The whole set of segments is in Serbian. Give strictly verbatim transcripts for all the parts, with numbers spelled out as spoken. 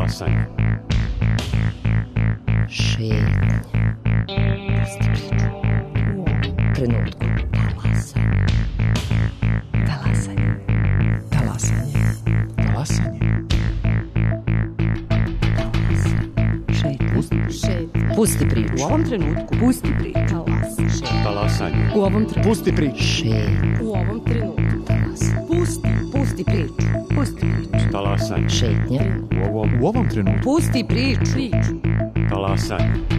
Talasanje. Šetnje. U trenutku. Talasanje. Talasanje. Talasanje. Talasanje. Šetnje. Pusti priču. U ovom trenutku. Pusti priču. Talasanje. U ovom trenutku. Pusti priču. Šetnje. U ovom trenutku. Talasanje. Pusti. Pusti priču. Pusti priču. Talasanje. Šetnje. U ovom, U ovom trenutku. Pusti priču. Priču. talasanje.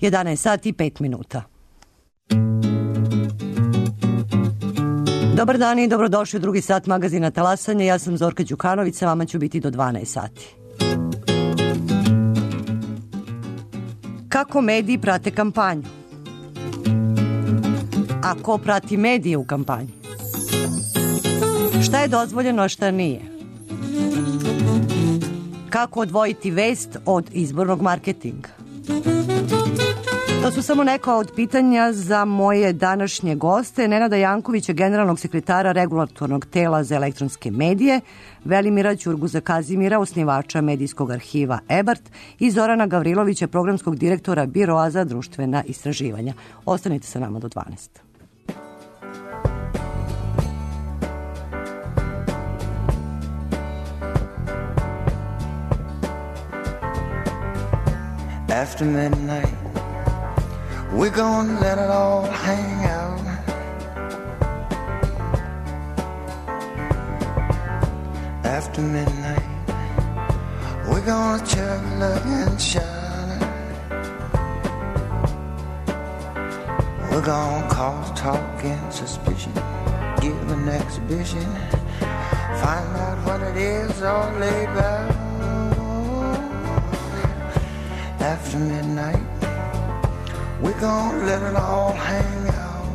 jedanaest sati i pet minuta. Dobar dan i dobrodošli u drugi sat magazina Talasanje. Ja sam Zorka Đukanović, sa vama ću biti do dvanaest sati. Kako mediji prate kampanju? A ko prati medije u kampanji? Šta je dozvoljeno, a šta nije? Kako odvojiti vest od izbornog marketinga? To su samo neka od pitanja za moje današnje goste, Nenada Jankovića, generalnog sekretara Regulatornog tela za elektronske medije, Velimira Ćurguza Kazimira, osnivača medijskog arhiva Ebert i Zorana Gavrilovića, programskog direktora Biroa za društvena istraživanja. Ostanite sa nama do dvanaest. After midnight, we're gonna let it all hang out. After midnight, we're gonna chug, look and shine. We're gonna cause talk and suspicion, give an exhibition, find out what it is all laid back. After midnight, we're gonna let it all hang out.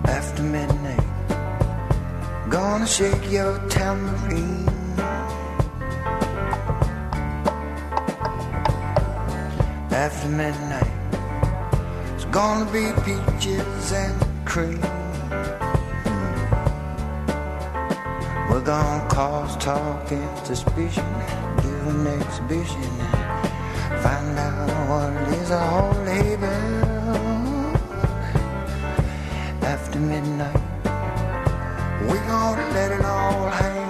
After midnight, gonna shake your tambourine. After midnight, it's gonna be peaches and cream. We're gonna cause talk and suspicion, give an exhibition, find out what it is all label. After midnight, we're gonna let it all hang out.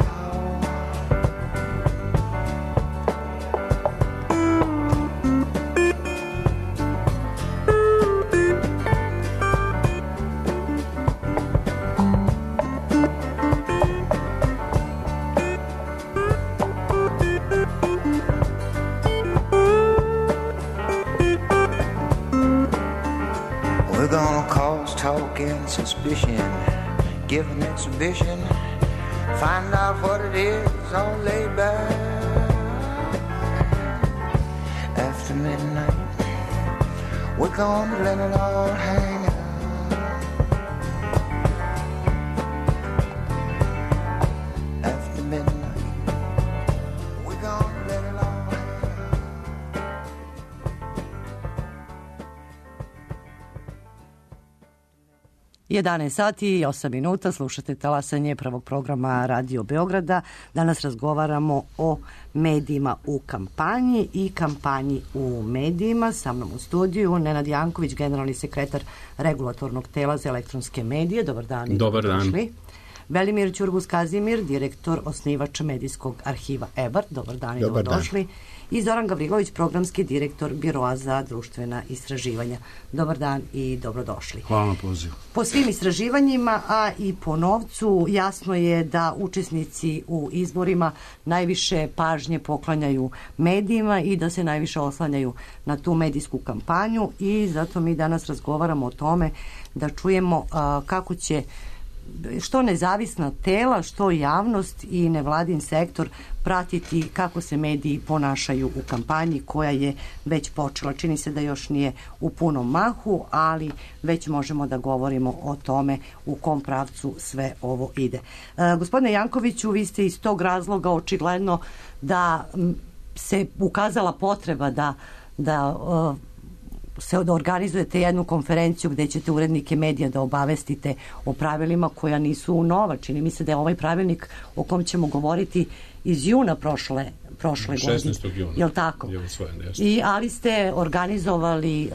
Suspicion, give an exhibition, find out what it is all laid back. After midnight, we're gonna let it all hang out. After midnight, we're gonna let it all hang out. jedanaest sati i osam minuta, slušate Talasanje prvog programa Radio Beograda. Danas razgovaramo o medijima u kampanji i kampanji u medijima. Sa mnom u studiju Nenad Janković, generalni sekretar Regulatornog tela za elektronske medije. Dobar dan. Dobar dan. Velimir Ćurguz Kazimir, direktor, osnivač medijskog arhiva Ebert. Dobar dan i Dobar dobrodošli. I Zoran Gavrilović, programski direktor Biroa za društvena istraživanja. Dobar dan i dobrodošli. Hvala na pozivu. Po svim istraživanjima, a i po novcu, jasno je da učesnici u izborima najviše pažnje poklanjaju medijima i da se najviše oslanjaju na tu medijsku kampanju i zato mi danas razgovaramo o tome da čujemo a, kako će što nezavisna tela, što javnost i nevladin sektor pratiti kako se mediji ponašaju u kampanji koja je već počela. Čini se da još nije u punom mahu, ali već možemo da govorimo o tome u kom pravcu sve ovo ide. E, gospodine Jankoviću, vi ste iz tog razloga očigledno da se ukazala potreba da, da e, se da organizujete jednu konferenciju gde ćete urednike medija da obavestite o pravilima koja nisu nova. Čini mi se da je ovaj pravilnik o kom ćemo govoriti iz juna prošle, prošle godine. šesnaestog juna. Jel tako? Je usvojen, I, ali ste organizovali uh,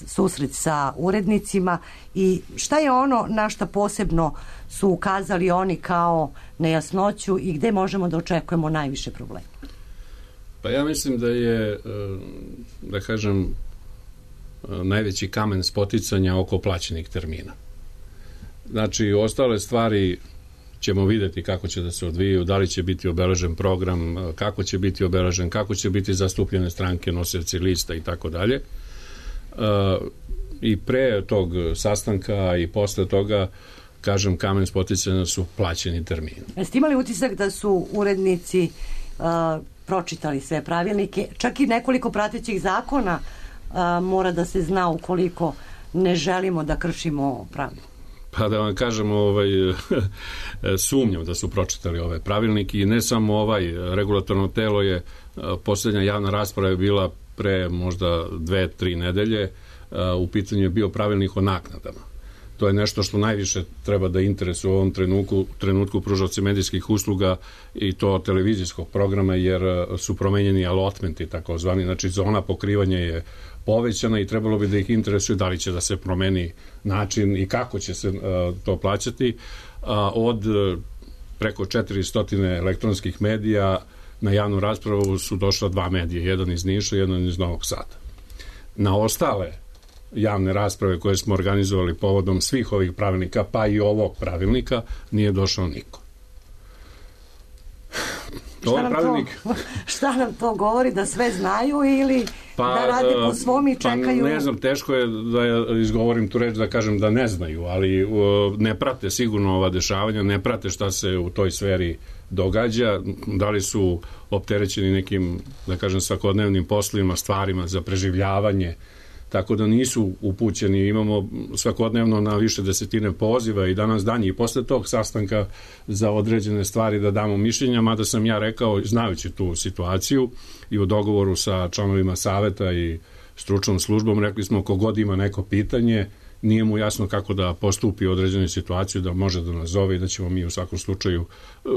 susret sa urednicima i šta je ono na šta posebno su ukazali oni kao nejasnoću i gde možemo da očekujemo najviše problema? Pa ja mislim da je, da kažem, najveći kamen spoticanja oko plaćenih termina. Znači, ostale stvari ćemo videti kako će da se odvijaju, da li će biti obeležen program, kako će biti obeležen, kako će biti zastupljene stranke, nosioci lista i tako dalje. I pre tog sastanka i posle toga, kažem, kamen spoticanja su plaćeni termini. Jeste imali utisak da su urednici uh, pročitali sve pravilnike, čak i nekoliko pratećih zakona a, mora da se zna ukoliko ne želimo da kršimo pravila? Pa da vam kažem, ovaj, sumnjam da su pročitali ove pravilnike i ne samo ovaj, regulatorno telo je, posljednja javna rasprava je bila pre možda dve, tri nedelje, u pitanju je bio pravilnik o naknadama. To je nešto što najviše treba da interesuje u ovom trenutku, trenutku pružaoci medijskih usluga i to televizijskog programa, jer su promenjeni allotmenti takozvani, znači zona pokrivanja je povećana i trebalo bi da ih interesuje da li će da se promeni način i kako će se uh, to plaćati. Uh, od uh, preko četiristo elektronskih medija na javnu raspravu su došla dva medija, jedan iz Niša, jedan iz Novog Sada. Na ostale javne rasprave koje smo organizovali povodom svih ovih pravilnika, pa i ovog pravilnika, nije došao niko. Šta nam, pravilnik... to, šta nam to govori? Da sve znaju ili pa, da rade po svom i čekaju? Pa ne znam, teško je da ja izgovorim tu reč da kažem da ne znaju, ali uh, ne prate sigurno ova dešavanja, ne prate šta se u toj sferi događa, da li su opterećeni nekim, da kažem, svakodnevnim poslovima, stvarima za preživljavanje, tako da nisu upućeni. Imamo svakodnevno na više desetine poziva i danas dan i posle tog sastanka za određene stvari da damo mišljenja, mada sam ja rekao, znajući tu situaciju i u dogovoru sa članovima saveta i stručnom službom, rekli smo kogod ima neko pitanje, nije mu jasno kako da postupi u određenoj situaciji, da može da nas zove i da ćemo mi u svakom slučaju,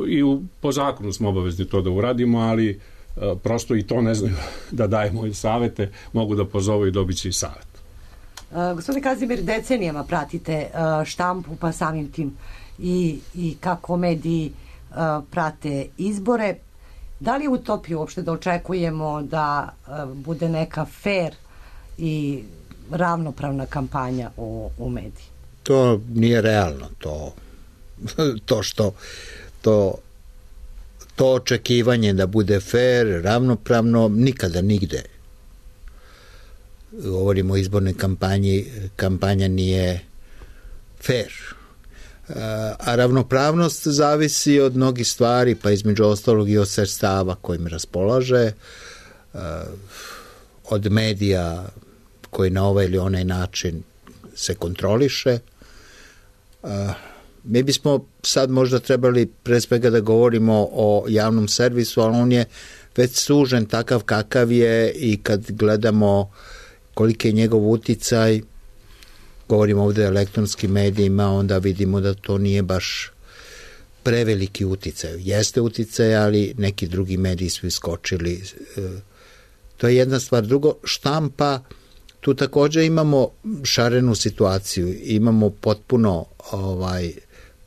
i u, po zakonu smo obavezni to da uradimo, ali prosto i to ne znaju da dajemo i savete, mogu da pozovu i dobit će i savet. Uh, gospodine Kazimir, decenijama pratite uh, štampu, pa samim tim i, i kako mediji uh, prate izbore. Da li je utopija uopšte da očekujemo da uh, bude neka fair i ravnopravna kampanja u, u mediji? To nije realno. To, to što to To očekivanje da bude fair, ravnopravno, nikada nigde. Govorimo o izbornoj kampanji, kampanja nije fair. A ravnopravnost zavisi od mnogih stvari, pa između ostalog i od sredstava kojim raspolaže, od medija koji na ovaj ili onaj način se kontroliše. Mi bismo sad možda trebali pre svega da govorimo o javnom servisu, ali on je već sužen takav kakav je i kad gledamo koliki je njegov uticaj, govorimo ovde o elektronskim medijima, onda vidimo da to nije baš preveliki uticaj. Jeste uticaj, ali neki drugi mediji su iskočili. To je jedna stvar. Drugo, štampa, tu također imamo šarenu situaciju, imamo potpuno ovaj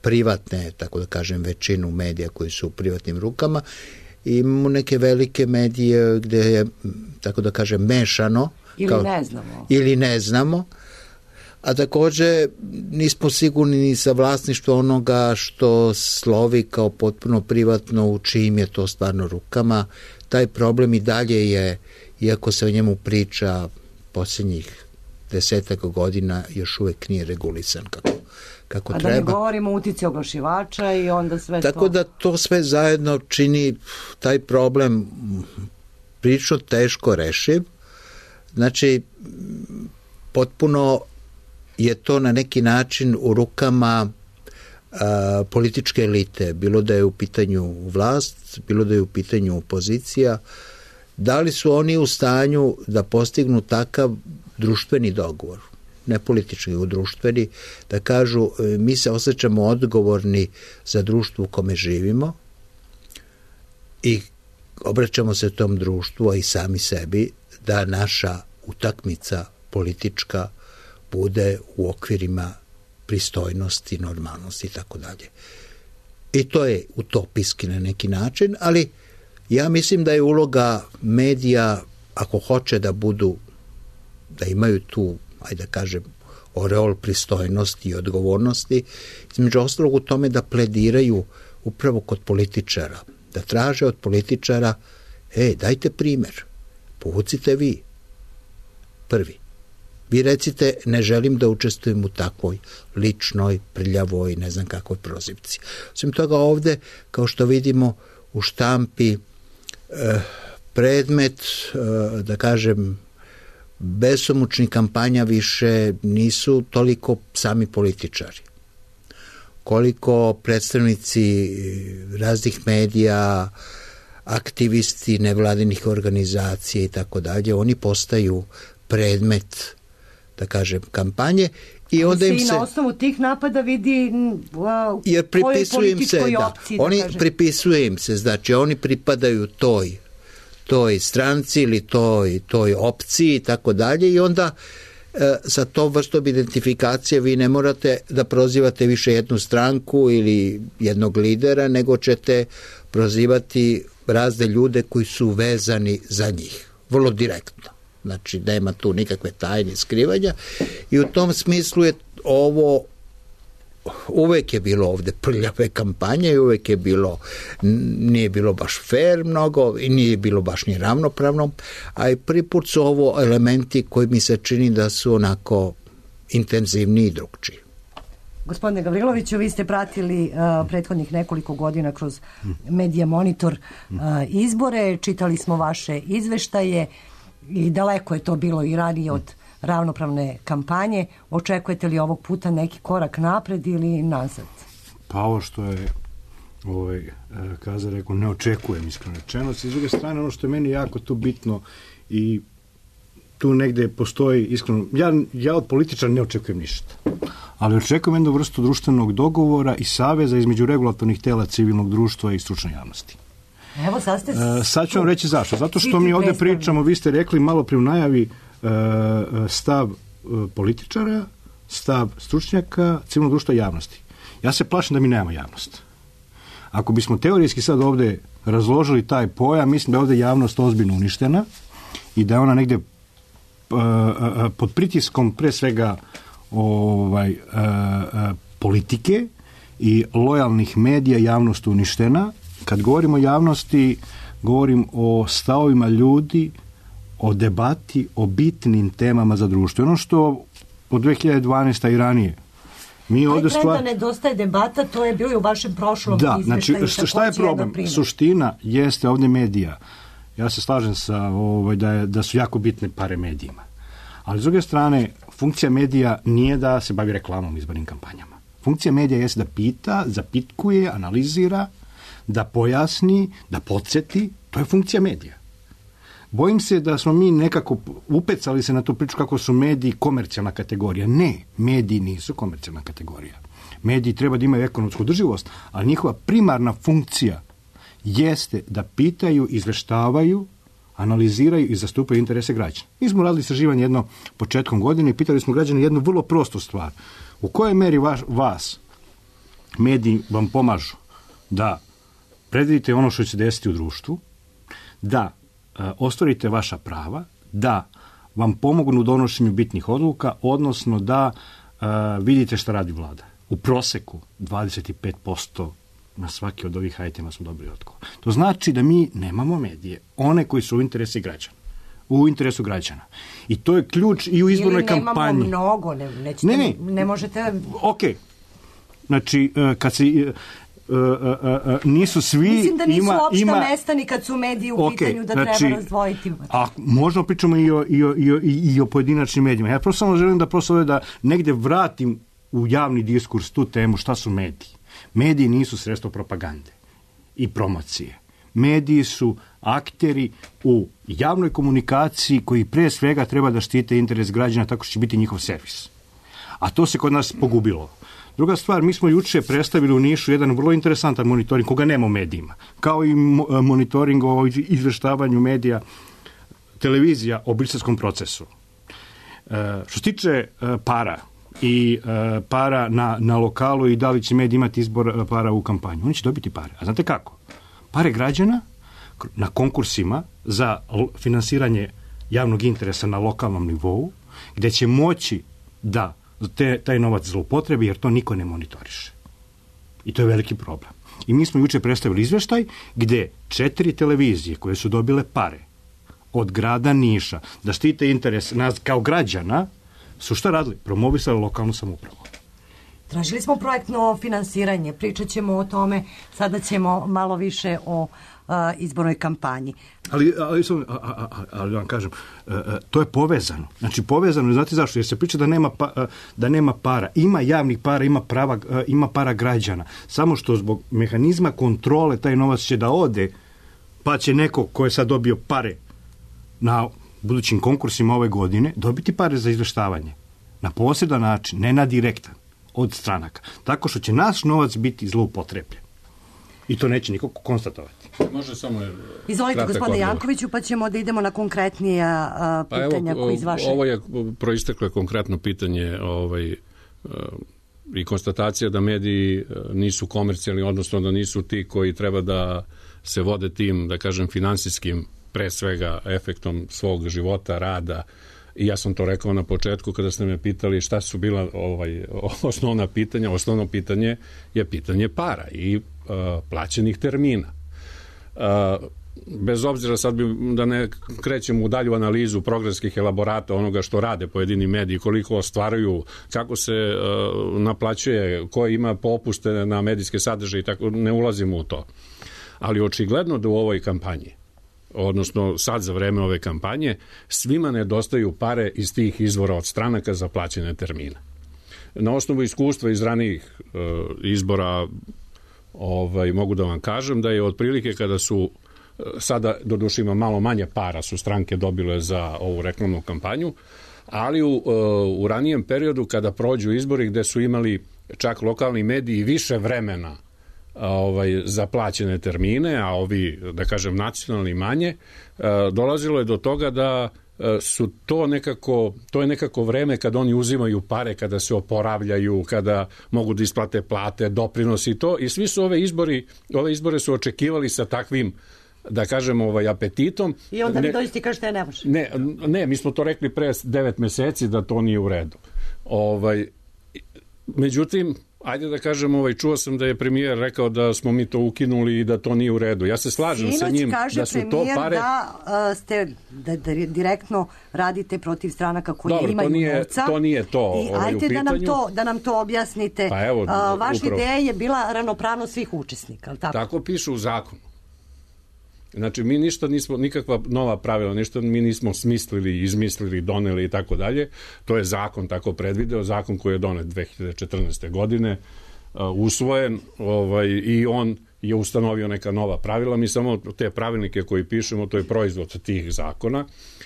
privatne, tako da kažem, većinu medija koji su u privatnim rukama i imamo neke velike medije gde je, tako da kažem, mešano. Ili kao, ne znamo. Ili ne znamo. A također nismo sigurni ni sa vlasništvo onoga što slovi kao potpuno privatno, u čijim je to stvarno rukama. Taj problem i dalje je, iako se o njemu priča posljednjih desetak godina, još uvek nije regulisan kako kako A treba. da ne govorimo o utici oglašivača i onda sve Tako to. da to sve zajedno čini taj problem prilično teško rešiv. Znači, potpuno je to na neki način u rukama a, političke elite, bilo da je u pitanju vlast, bilo da je u pitanju opozicija. Da li su oni u stanju da postignu takav društveni dogovor, ne politički, u društveni, da kažu mi se osjećamo odgovorni za društvo u kome živimo i obraćamo se tom društvu, a i sami sebi, da naša utakmica politička bude u okvirima pristojnosti, normalnosti i tako dalje. I to je utopijski na neki način, ali ja mislim da je uloga medija, ako hoće da budu, da imaju tu, ajde da kažem, oreol pristojnosti i odgovornosti, između ostalog u tome da plediraju upravo kod političara, da traže od političara, ej, dajte primjer, povucite vi, prvi. Vi recite, ne želim da učestvujem u takvoj ličnoj, prljavoj, ne znam kakvoj prozivci. Osim toga ovde, kao što vidimo u štampi, eh, predmet, eh, da kažem, besomučnih kampanja više nisu toliko sami političari. Koliko predstavnici raznih medija, aktivisti nevladinih organizacija i tako dalje, oni postaju predmet, da kažem, kampanje i onda im se... I na osnovu tih napada vidi uh, jer pripisuje im se, da, opciji, da oni kažem. pripisuje im se, znači oni pripadaju toj toj stranci ili toj, toj opciji i tako dalje i onda e, sa tom vrstom identifikacije vi ne morate da prozivate više jednu stranku ili jednog lidera, nego ćete prozivati razne ljude koji su vezani za njih. Vrlo direktno. Znači, nema tu nikakve tajne skrivanja i u tom smislu je ovo uvek je bilo ovde prljave kampanje i uvek je bilo, nije bilo baš fair mnogo i nije bilo baš ni ravnopravno, a i prvi put su ovo elementi koji mi se čini da su onako intenzivniji i drugčiji. Gospodine Gavriloviću, vi ste pratili uh, prethodnih nekoliko godina kroz Medija Monitor uh, izbore, čitali smo vaše izveštaje i daleko je to bilo i ranije od ravnopravne kampanje. Očekujete li ovog puta neki korak napred ili nazad? Pa ovo što je ovaj, Kaza rekao, ne očekujem iskreno rečeno. S druge strane, ono što je meni jako tu bitno i tu negde postoji iskreno, ja, ja od političara ne očekujem ništa, ali očekujem jednu vrstu društvenog dogovora i saveza između regulatornih tela civilnog društva i stručne javnosti. Evo, sad ste... E, sad ću vam reći zašto. Zato što mi ovde pričamo, vi ste rekli malo pri u najavi, stav političara, stav stručnjaka, civilnog društva i javnosti. Ja se plašim da mi nemamo javnost. Ako bismo teorijski sad ovde razložili taj pojam, mislim da je ovde javnost ozbiljno uništena i da je ona negde pod pritiskom pre svega ovaj, politike i lojalnih medija javnost uništena. Kad govorim o javnosti, govorim o stavovima ljudi, o debati, o bitnim temama za društvo. Ono što od dve hiljade dvanaeste i ranije. Mi ovdje stvar... da nedostaje debata, to je bilo i u vašem prošlom da, izveštaju. Znači, šta je problem? Suština jeste ovdje medija. Ja se slažem sa ovaj, da, je, da su jako bitne pare medijima. Ali s druge strane, funkcija medija nije da se bavi reklamom i izbornim kampanjama. Funkcija medija jeste da pita, zapitkuje, analizira, da pojasni, da podsjeti. To je funkcija medija. Bojim se da smo mi nekako upecali se na tu priču kako su mediji komercijalna kategorija. Ne, mediji nisu komercijalna kategorija. Mediji treba da imaju ekonomsku održivost, ali njihova primarna funkcija jeste da pitaju, izveštavaju, analiziraju i zastupaju interese građana. Mi smo radili istraživanje jedno početkom godine i pitali smo građane jednu vrlo prostu stvar. U kojoj meri vaš, vas mediji vam pomažu da predvidite ono što će se desiti u društvu, da ostvarite vaša prava, da vam pomognu u donošenju bitnih odluka, odnosno da uh, vidite šta radi vlada. U proseku dvadeset pet posto na svaki od ovih ajtema smo dobili odgovor. To znači da mi nemamo medije, one koji su u interesu građana. U interesu građana. I to je ključ i u izbornoj kampanji. Ili nemamo mnogo, ne, nećete, ne, ne. ne možete... Ok, Znači, kad se... Uh, uh, uh, nisu svi... Mislim da nisu ima, opšta ima... mesta ni kad su mediji u okay, pitanju da znači, treba razdvojiti. A možda pričamo i o, i, o, i, o, i o pojedinačnim medijima. Ja prosto samo želim da prosto da negde vratim u javni diskurs tu temu šta su mediji. Mediji nisu sredstvo propagande i promocije. Mediji su akteri u javnoj komunikaciji koji pre svega treba da štite interes građana tako što će biti njihov servis. A to se kod nas pogubilo. Druga stvar, mi smo juče predstavili u Nišu jedan vrlo interesantan monitoring koga nema u medijima. Kao i monitoring o izveštavanju medija, televizija o briselskom procesu. E, što se tiče e, para i e, para na, na lokalu i da li će mediji imati izbor para u kampanju, oni će dobiti pare. A znate kako? Pare građana na konkursima za finansiranje javnog interesa na lokalnom nivou, gde će moći da Te, taj novac zloupotrebi, jer to niko ne monitoriše. I to je veliki problem. I mi smo juče predstavili izveštaj gde četiri televizije koje su dobile pare od grada Niša da štite interes nas kao građana su šta radili? Promovisali lokalnu samoupravu. Tražili smo projektno finansiranje, pričat ćemo o tome, sada ćemo malo više o uh, izbornoj kampanji. Ali, ali, ali, ali vam kažem, to je povezano. Znači povezano, znate zašto? Jer se priča da nema, pa, da nema para. Ima javnih para, ima, prava, ima para građana. Samo što zbog mehanizma kontrole taj novac će da ode, pa će neko ko je sad dobio pare na budućim konkursima ove godine dobiti pare za izveštavanje. Na posredan način, ne na direktan, od stranaka. Tako što će naš novac biti zloupotrebljen. I to neće niko konstatovati. Može samo... Izvolite, gospodine Jankoviću, pa ćemo da idemo na konkretnija a, pitanja pa evo, koji iz vaše... Ovo je proisteklo konkretno pitanje ovaj, i konstatacija da mediji nisu komercijalni, odnosno da nisu ti koji treba da se vode tim, da kažem, finansijskim, pre svega, efektom svog života, rada. I ja sam to rekao na početku kada ste me pitali šta su bila ovaj, osnovna pitanja. Osnovno pitanje je pitanje para i uh, plaćenih termina. Uh, bez obzira sad bi, da ne krećemo u dalju analizu programskih elaborata onoga što rade pojedini mediji, koliko ostvaruju, kako se uh, naplaćuje, ko ima popuste na medijske sadržaje i tako, ne ulazimo u to. Ali očigledno da u ovoj kampanji, odnosno sad za vreme ove kampanje, svima nedostaju pare iz tih izvora od stranaka za plaćene termine. Na osnovu iskustva iz ranijih e, izbora ovaj, mogu da vam kažem da je otprilike kada su, sada doduše ima malo manje para su stranke dobile za ovu reklamnu kampanju, ali u, e, u ranijem periodu kada prođu izbori gde su imali čak lokalni mediji više vremena ovaj, za plaćene termine, a ovi, da kažem, nacionalni manje, dolazilo je do toga da su to nekako, to je nekako vreme kada oni uzimaju pare, kada se oporavljaju, kada mogu da isplate plate, doprinosi i to, i svi su ove izbori, ove izbore su očekivali sa takvim, da kažem, ovaj, apetitom. I onda vi dođete i kažete ne može. Ne, ne, mi smo to rekli pre devet meseci da to nije u redu. Ovaj, međutim, ajde da kažem, ovaj, čuo sam da je premijer rekao da smo mi to ukinuli i da to nije u redu. Ja se slažem Sinoć sa njim kaže da su to pare... da uh, ste da, da direktno radite protiv stranaka koji Dobro, imaju to nije, novca. to nije to I ovaj, ajde u pitanju. da nam to, da nam to objasnite. Pa evo, uh, vaša upravo. ideja je bila ravnopravnost svih učesnika, ali tako? Tako piše u zakonu. Znači, mi ništa nismo, nikakva nova pravila, ništa mi nismo smislili, izmislili, doneli i tako dalje. To je zakon tako predvideo, zakon koji je donet dve hiljade četrnaeste. godine, uh, usvojen, ovaj, i on je ustanovio neka nova pravila. Mi samo te pravilnike koji pišemo, to je proizvod tih zakona,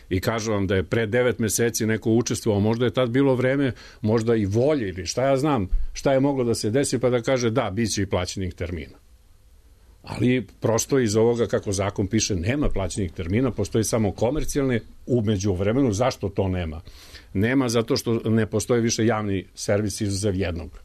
i kažu vam da je pre devet meseci neko učestvovao, možda je tad bilo vreme, možda i volje ili šta ja znam, šta je moglo da se desi, pa da kaže da, bit će i plaćenih termina. Ali prosto iz ovoga, kako zakon piše, nema plaćenih termina, postoji samo komercijalne. Umeđu vremenu, zašto to nema? Nema zato što ne postoje više javni servis izuzev jednog,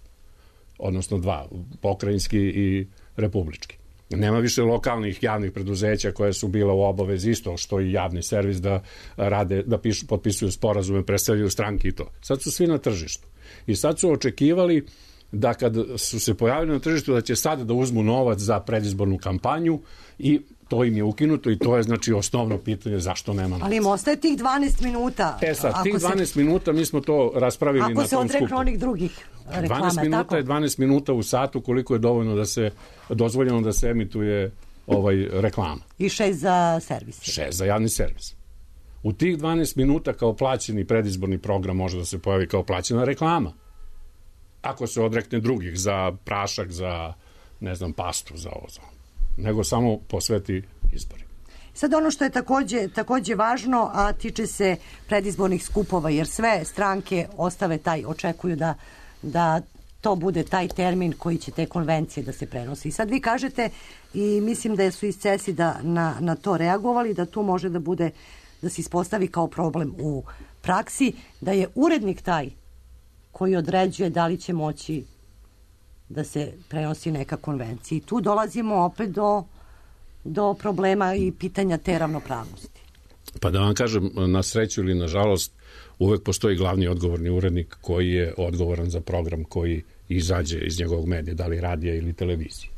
odnosno dva, pokrajinski i republički. Nema više lokalnih javnih preduzeća koje su bila u obavezi isto što i javni servis da rade, da pišu, potpisuju sporazume, predstavljaju stranke i to. Sad su svi na tržištu. I sad su očekivali da kad su se pojavili na tržištu da će sada da uzmu novac za predizbornu kampanju i To im je ukinuto i to je znači osnovno pitanje zašto nema novca. Ali im ostaje tih dvanaest minuta. E sad, Ako tih dvanaest se, minuta mi smo to raspravili na tom skupu. Ako se odreknu onih drugih reklama, dvanaest minuta tako? je dvanaest minuta u satu koliko je dovoljno da se, dozvoljeno da se emituje ovaj reklama. I šest za servis. Šest za javni servis. U tih dvanaest minuta kao plaćeni predizborni program može da se pojavi kao plaćena reklama. Ako se odrekne drugih za prašak, za ne znam, pastu, za ovo, za nego samo posveti izbori. Sad ono što je takođe, takođe važno, a tiče se predizbornih skupova, jer sve stranke ostave taj, očekuju da, da to bude taj termin koji će te konvencije da se prenosi. I sad vi kažete, i mislim da su iz CESI da na, na to reagovali, da tu može da bude, da se ispostavi kao problem u praksi, da je urednik taj koji određuje da li će moći da se prenosi neka konvencija. I tu dolazimo opet do, do problema i pitanja te ravnopravnosti. Pa da vam kažem, na sreću ili na žalost, uvek postoji glavni odgovorni urednik koji je odgovoran za program koji izađe iz njegovog medija, da li radija ili televizije.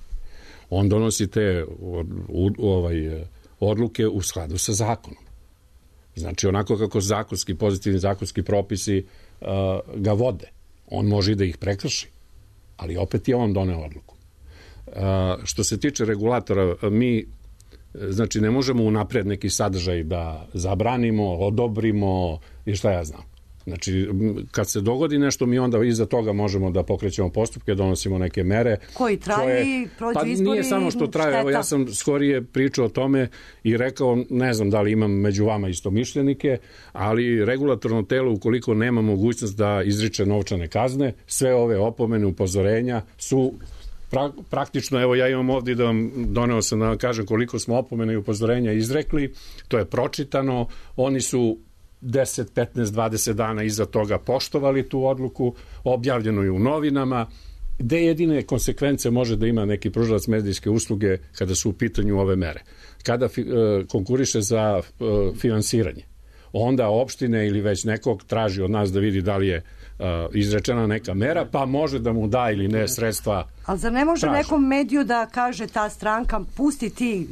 On donosi te ovaj, odluke u skladu sa zakonom. Znači, onako kako zakonski, pozitivni zakonski propisi uh, ga vode. On može i da ih prekrši, ali opet je on doneo odluku. Uh, što se tiče regulatora, mi znači ne možemo unapred neki sadržaj da zabranimo, odobrimo i šta ja znam. Znači, kad se dogodi nešto, mi onda iza toga možemo da pokrećemo postupke, donosimo neke mere. Koji traje, prođu pa izbori, nije samo što traje, šteta. Evo ja sam skorije pričao o tome i rekao, ne znam da li imam među vama istomišljenike, ali regulatorno telo, ukoliko nema mogućnost da izriče novčane kazne, sve ove opomene, upozorenja su pra, praktično, evo ja imam ovdje da vam doneo sam da vam kažem koliko smo opomene i upozorenja izrekli, to je pročitano, oni su deset, petnaest, dvadeset dana iza toga poštovali tu odluku, objavljeno je u novinama, gde jedine konsekvence može da ima neki pružalac medijske usluge kada su u pitanju ove mere. Kada fi, e, konkuriše za e, finansiranje, onda opštine ili već nekog traži od nas da vidi da li je uh, izrečena neka mera, pa može da mu da ili ne sredstva. Ali zar ne može traži. Nekom mediju da kaže ta stranka, pusti ti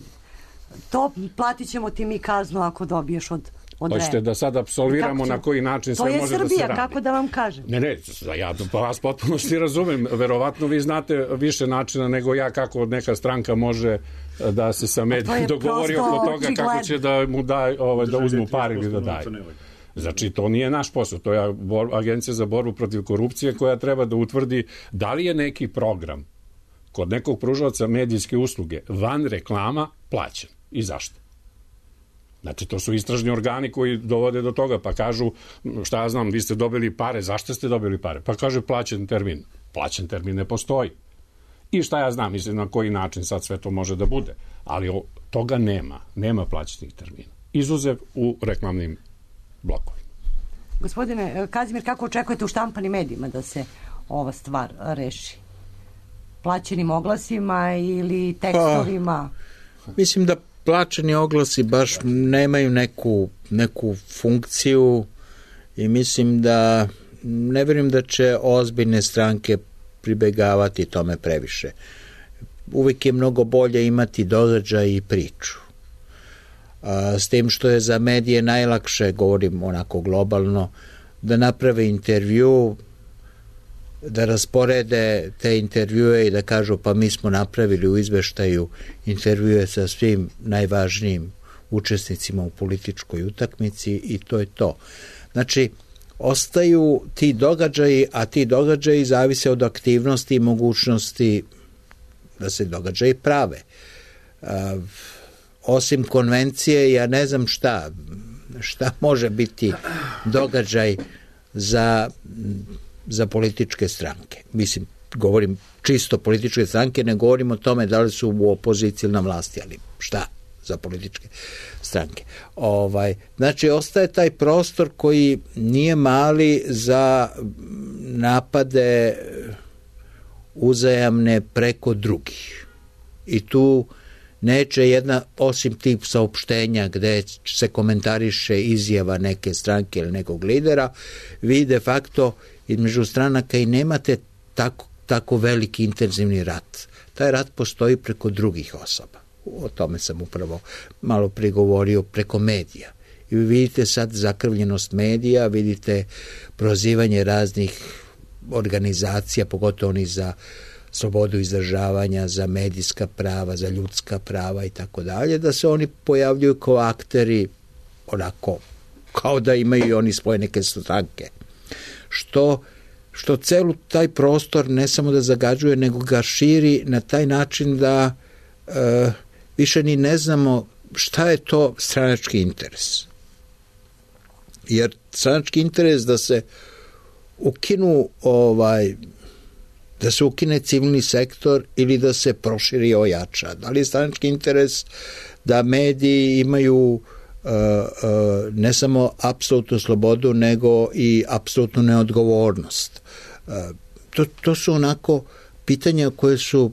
to, platit ćemo ti mi kaznu ako dobiješ od Hoćete da sad apsolviramo na koji način sve može Srbija, da se radi. To je Srbija, kako da vam kažem? Ne, ne, ja pa vas potpuno svi razumem. Verovatno vi znate više načina nego ja kako neka stranka može da se sa medijom dogovori oko toga kako će da mu da, ovaj, da uzmu par ili da daje. Znači, to nije naš posao, to je Agencija za borbu protiv korupcije koja treba da utvrdi da li je neki program kod nekog pružalaca medijske usluge van reklama plaćen i zašto. Znači, to su istražni organi koji dovode do toga, pa kažu, šta ja znam, vi ste dobili pare, zašto ste dobili pare? Pa kaže, plaćen termin. Plaćen termin ne postoji. I šta ja znam, mislim, na koji način sad sve to može da bude. Ali o, toga nema. Nema plaćenih termina. Izuzev u reklamnim blokovima. Gospodine Kazimir, kako očekujete u štampanim medijima da se ova stvar reši? Plaćenim oglasima ili tekstovima? Pa, mislim da plaćeni oglasi baš nemaju neku, neku funkciju i mislim da ne vjerujem da će ozbiljne stranke pribegavati tome previše. Uvijek je mnogo bolje imati događaj i priču. A, s tim što je za medije najlakše, govorim onako globalno, da naprave intervju, da rasporede te intervjue i da kažu pa mi smo napravili u izveštaju intervjue sa svim najvažnijim učesnicima u političkoj utakmici i to je to. Znači, ostaju ti događaji, a ti događaji zavise od aktivnosti i mogućnosti da se događaji prave. A, osim konvencije, ja ne znam šta, šta može biti događaj za za političke stranke. Mislim, govorim čisto političke stranke, ne govorim o tome da li su u opoziciji ili na vlasti, ali šta za političke stranke. Ovaj, znači, ostaje taj prostor koji nije mali za napade uzajamne preko drugih. I tu neće jedna, osim tip saopštenja gde se komentariše izjava neke stranke ili nekog lidera, vi de facto između stranaka i nemate tako, tako veliki intenzivni rat. Taj rat postoji preko drugih osoba. o tome sam upravo malo prigovorio preko medija. I vi vidite sad zakrvljenost medija, vidite prozivanje raznih organizacija, pogotovo oni za slobodu izražavanja, za medijska prava, za ljudska prava i tako dalje, da se oni pojavljuju kao akteri onako, kao da imaju i oni svoje neke stranke. Što, što celu taj prostor ne samo da zagađuje, nego ga širi na taj način da e, više ni ne znamo šta je to stranački interes. Jer stranački interes da se ukinu ovaj da se ukine civilni sektor ili da se proširi i ojača. Da li je stranački interes da mediji imaju uh, uh, ne samo apsolutnu slobodu, nego i apsolutnu neodgovornost? Uh, to, to su onako pitanja koje su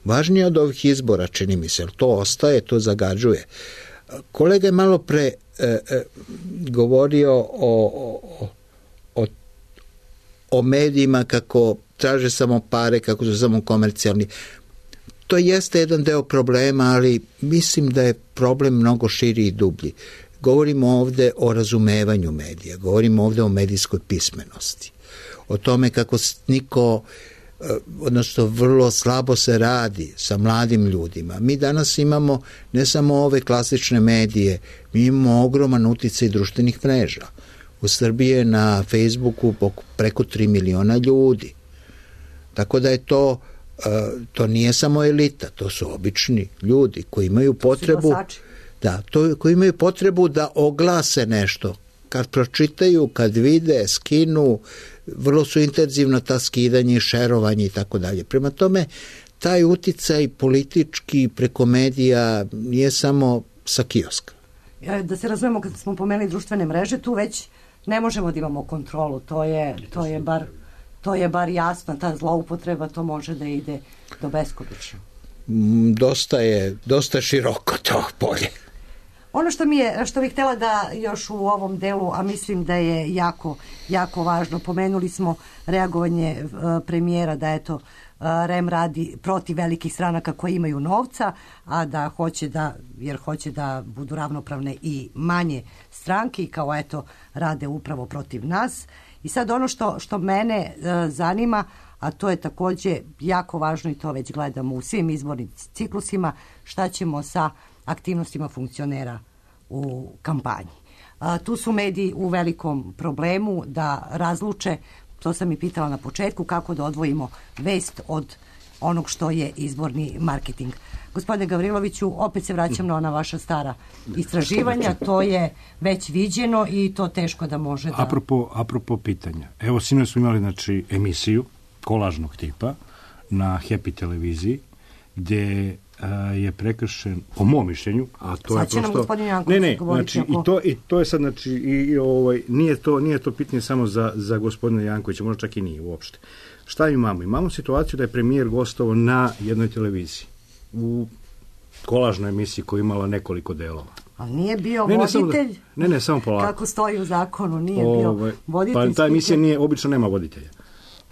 važnije od ovih izbora, čini mi se. To ostaje, to zagađuje. Kolega je malo pre uh, uh, govorio o, o, o, o medijima kako traže samo pare, kako su samo komercijalni. To jeste jedan deo problema, ali mislim da je problem mnogo širi i dublji. Govorimo ovde o razumevanju medija, govorimo ovde o medijskoj pismenosti, o tome kako niko, odnosno vrlo slabo se radi sa mladim ljudima. Mi danas imamo ne samo ove klasične medije, mi imamo ogroman uticaj društvenih mreža. U Srbiji je na Facebooku preko tri miliona ljudi. Tako da je to, to nije samo elita, to su obični ljudi koji imaju potrebu, da, to, koji imaju potrebu da oglase nešto. Kad pročitaju, kad vide, skinu, vrlo su intenzivno ta skidanje, šerovanje i tako dalje. Prema tome, taj uticaj politički preko medija nije samo sa kioska. Da se razumemo, kad smo pomenuli društvene mreže, tu već ne možemo da imamo kontrolu, to je, to je bar... To je bar jasno, ta zloupotreba, to može da ide do beskonačno. Dosta je, dosta široko to polje. Ono što mi je, što bih htjela da još u ovom delu, a mislim da je jako, jako važno, pomenuli smo reagovanje uh, premijera da eto uh, R E M radi protiv velikih stranaka koji imaju novca, a da hoće da, jer hoće da budu ravnopravne i manje stranke i kao eto rade upravo protiv nas. I sad ono što, što mene e, zanima, a to je takođe jako važno i to već gledamo u svim izbornim ciklusima, šta ćemo sa aktivnostima funkcionera u kampanji. A, tu su mediji u velikom problemu da razluče, to sam i pitala na početku, kako da odvojimo vest od onog što je izborni marketing. Gospodine Gavriloviću, opet se vraćam na ona vaša stara istraživanja, to je već viđeno i to teško da može da... Apropo, apropo pitanja, evo sinoć smo imali znači, emisiju kolažnog tipa na Happy televiziji, gde a, je prekršen, po mom mišljenju, a to sad je prosto... Sad će nam gospodin Janković ne, ne, znači, ako... i, to, i to je sad, znači, i, i, ovaj, nije, to, nije to pitanje samo za, za gospodina Jankovića, možda čak i nije uopšte. Šta imamo? Imamo situaciju da je premijer gostovao na jednoj televiziji, u kolažnoj emisiji koja je imala nekoliko delova. Ali nije bio ne, ne, voditelj? Da, ne, ne, samo polako. Kako stoji u zakonu, nije Ove, bio voditelj? Pa ta emisija nije, obično nema voditelja.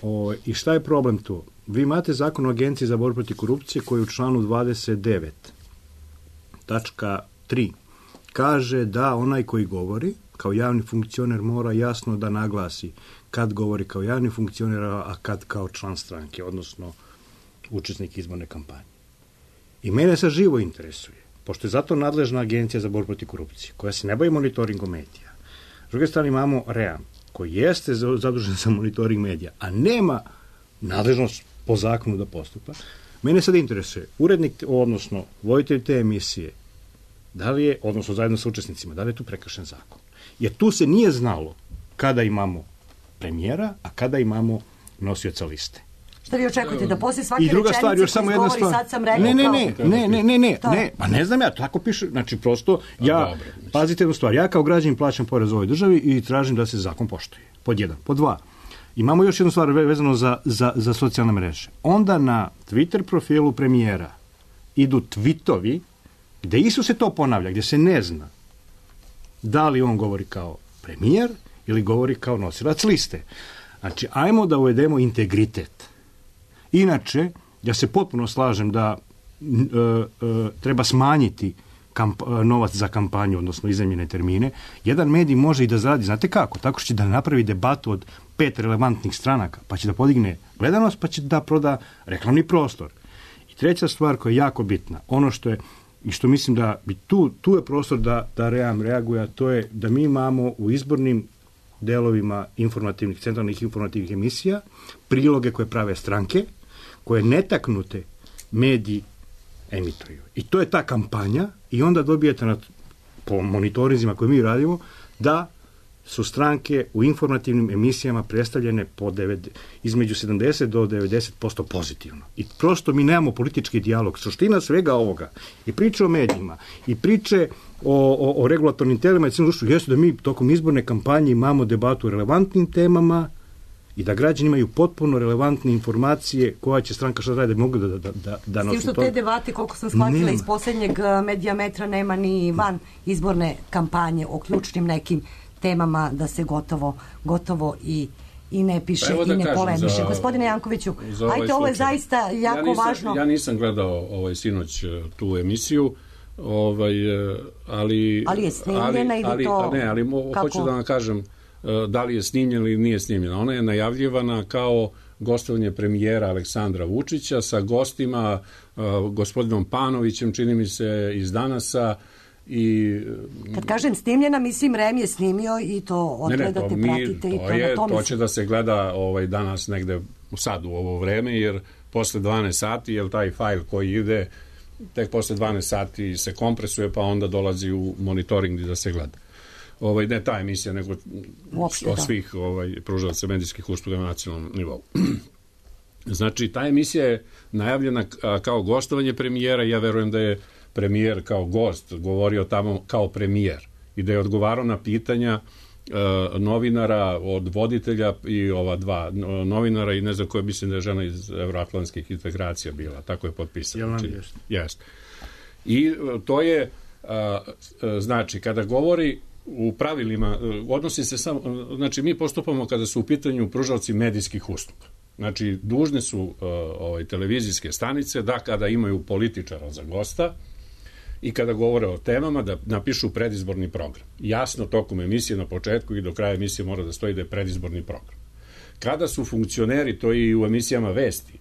Ove, I šta je problem tu? Vi imate zakon o Agenciji za borbu protiv korupcije koji u članu dvadeset devet tačka tri kaže da onaj koji govori kao javni funkcioner mora jasno da naglasi kad govori kao javni funkcioner, a kad kao član stranke, odnosno učesnik izborne kampanje. I mene se živo interesuje, pošto je zato nadležna Agencija za borbu protiv korupcije, koja se ne bavi monitoringom medija. S druge strane imamo R E M, koji jeste zadužen za monitoring medija, a nema nadležnost po zakonu da postupa. Mene sad interesuje, urednik, odnosno voditelj te emisije, da li je, odnosno zajedno sa učesnicima, da li je tu prekršen zakon? Jer tu se nije znalo kada imamo premijera, a kada imamo nosioca liste. Šta vi očekujete, da poslije svake I druga rečenice stvar, još samo jedna stvar. Sad sam rekao ne, ne, kao... ne, ne, ne, ne, ne, ne, pa ne znam ja, tako piše, znači prosto ja, dobro, pazite jednu stvar, ja kao građanin plaćam porez u ovoj državi i tražim da se zakon poštuje, pod jedan. Pod dva, imamo još jednu stvar vezano za, za, za socijalne mreže. Onda na Twitter profilu premijera idu tvitovi gde isto se to ponavlja, gdje se ne zna da li on govori kao premijer ili govori kao nosilac liste. Znači, ajmo da uvedemo integritet. Inače, ja se potpuno slažem da treba smanjiti kamp, novac za kampanju, odnosno iznajmljene termine, jedan medij može i da zaradi, znate kako? Tako što će da napravi debatu od pet relevantnih stranaka, pa će da podigne gledanost, pa će da proda reklamni prostor. I treća stvar koja je jako bitna, ono što je i što mislim da bi tu, tu je prostor da, da Ream reaguje, a to je da mi imamo u izbornim delovima informativnih, centralnih informativnih emisija, priloge koje prave stranke, koje netaknute mediji emituju. I to je ta kampanja i onda dobijete na, po monitorizima koje mi radimo, da su stranke u informativnim emisijama predstavljene po devet, između sedamdeset do devedeset posto pozitivno. I prosto mi nemamo politički dijalog. Suština svega ovoga i priče o medijima i priče o, o, o regulatornim telima i cijelom društvu jeste da mi tokom izborne kampanje imamo debatu o relevantnim temama i da građani imaju potpuno relevantne informacije koja će stranka šta radi da mogu da, da, da, da s tim što te debate, koliko sam shvatila iz posljednjeg Medijametra, nema ni van izborne kampanje o ključnim nekim temama da se gotovo, gotovo i, i ne piše pa i ne kažem, polemiše. za, Gospodine Jankoviću, ovaj ajte, ovo je zaista jako ja nisam, važno. Ja nisam gledao ovaj sinoć tu emisiju, ovaj, ali... Ali je snimljena ali, ili ali, to... Ne, ali mo, hoću da vam kažem da li je snimljena ili nije snimljena. Ona je najavljivana kao gostovanje premijera Aleksandra Vučića sa gostima, uh, gospodinom Panovićem, čini mi se, iz Danasa. I kad kažem snimljena, mislim Rem je snimio i to odgledate, ne, ne, to pratite mi, i to, to, je, to, to će da se gleda ovaj, danas negde sad u ovo vreme, jer posle dvanaest sati, jer taj fajl koji ide tek posle dvanaest sati se kompresuje, pa onda dolazi u monitoring da se gleda. Ovaj, ne ta emisija, nego uopšte, od da. svih ovaj, pružalaca medijskih usluga na nacionalnom nivou. Znači, ta emisija je najavljena kao gostovanje premijera. Ja verujem da je premijer kao gost govorio tamo kao premijer i da je odgovarao na pitanja e, novinara od voditelja i ova dva novinara i ne znam koje, mislim da je žena iz evroatlantskih integracija bila, tako je potpisano. Jest. I to je a, a, znači, kada govori u pravilima, odnosi se samo, znači mi postupamo kada su u pitanju pružalci medijskih usluga. Znači, dužne su uh, ovaj, televizijske stanice da kada imaju političara za gosta i kada govore o temama da napišu predizborni program. Jasno tokom emisije na početku i do kraja emisije mora da stoji da je predizborni program. Kada su funkcioneri, to i u emisijama Vesti,